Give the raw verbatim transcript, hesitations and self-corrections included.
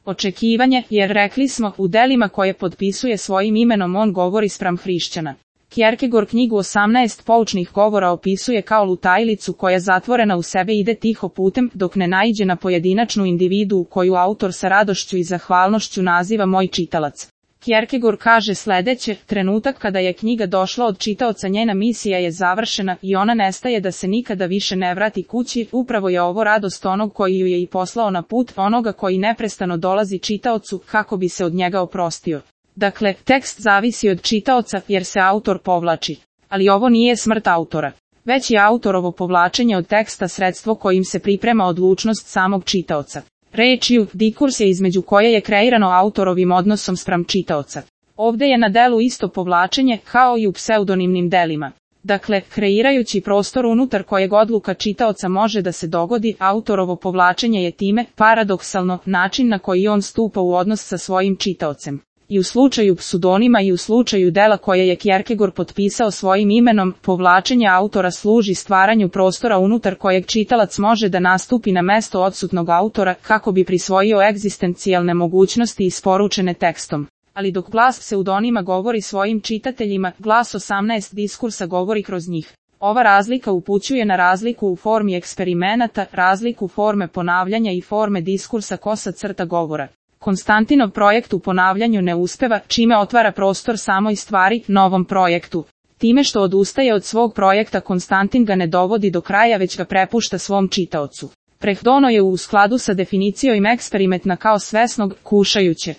Očekivanje, jer rekli smo, u delima koje potpisuje svojim imenom on govori spram hrišćana. Kierkegaard knjigu osamnaest poučnih govora opisuje kao lutajlicu koja zatvorena u sebe ide tiho putem dok ne naiđe na pojedinačnu individu koju autor sa radošću i zahvalnošću naziva moj čitalac. Kierkegaard kaže sledeće, trenutak kada je knjiga došla od čitaoca njena misija je završena i ona nestaje da se nikada više ne vrati kući, upravo je ovo radost onog koji ju je i poslao na put, onoga koji neprestano dolazi čitaocu kako bi se od njega oprostio. Dakle, tekst zavisi od čitaoca jer se autor povlači. Ali ovo nije smrt autora. Već je autorovo povlačenje od teksta sredstvo kojim se priprema odlučnost samog čitaoca. Rečju, diskurs je između koje je kreirano autorovim odnosom spram čitaoca. Ovde je na delu isto povlačenje kao i u pseudonimnim delima. Dakle, kreirajući prostor unutar kojeg odluka čitaoca može da se dogodi, autorovo povlačenje je time, paradoksalno, način na koji on stupa u odnos sa svojim čitaocem. I u slučaju pseudonima i u slučaju dela koje je Kierkegaard potpisao svojim imenom, povlačenje autora služi stvaranju prostora unutar kojeg čitalac može da nastupi na mesto odsutnog autora kako bi prisvojio egzistencijalne mogućnosti isporučene tekstom. Ali dok glas pseudonima govori svojim čitateljima, glas osamnaest diskursa govori kroz njih. Ova razlika upućuje na razliku u formi eksperimenata, razliku forme ponavljanja i forme diskursa kosa crta govora. Konstantinov projekt u ponavljanju ne uspeva, čime otvara prostor samoj stvari, novom projektu. Time što odustaje od svog projekta Konstantin ga ne dovodi do kraja već ga prepušta svom čitaocu. Prehdono je u skladu sa definicijom eksperimentna kao svesnog, kušajuće.